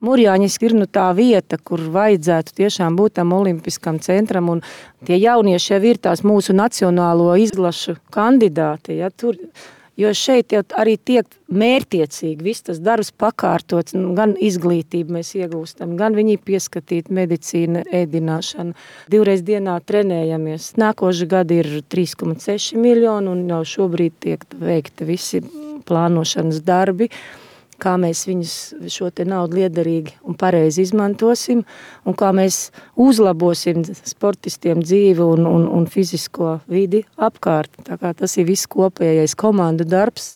Murjāņiski ir tā vieta, kur vajadzētu tiešām būt tam olimpiskam centram, un tie jaunieši jau ir tās mūsu nacionālo izlašu kandidāti, ja, tur. Jo šeit jau arī tiek mērķiecīgi viss tas darbs pakārtots, gan izglītību mēs iegūstam, gan viņi pieskatīt medicīna, ēdināšana. 2 reizes dienā trenējamies. Nākoši gadi ir 3,6 miljoni un jau šobrīd tiek veikti visi plānošanas darbi, kā mēs viņus šo te naudu liederīgi un pareizi izmantosim un kā mēs uzlabosim sportistiem dzīvi un fizisko vidi apkārt. Tā kā tas ir viss kopējais komandu darbs.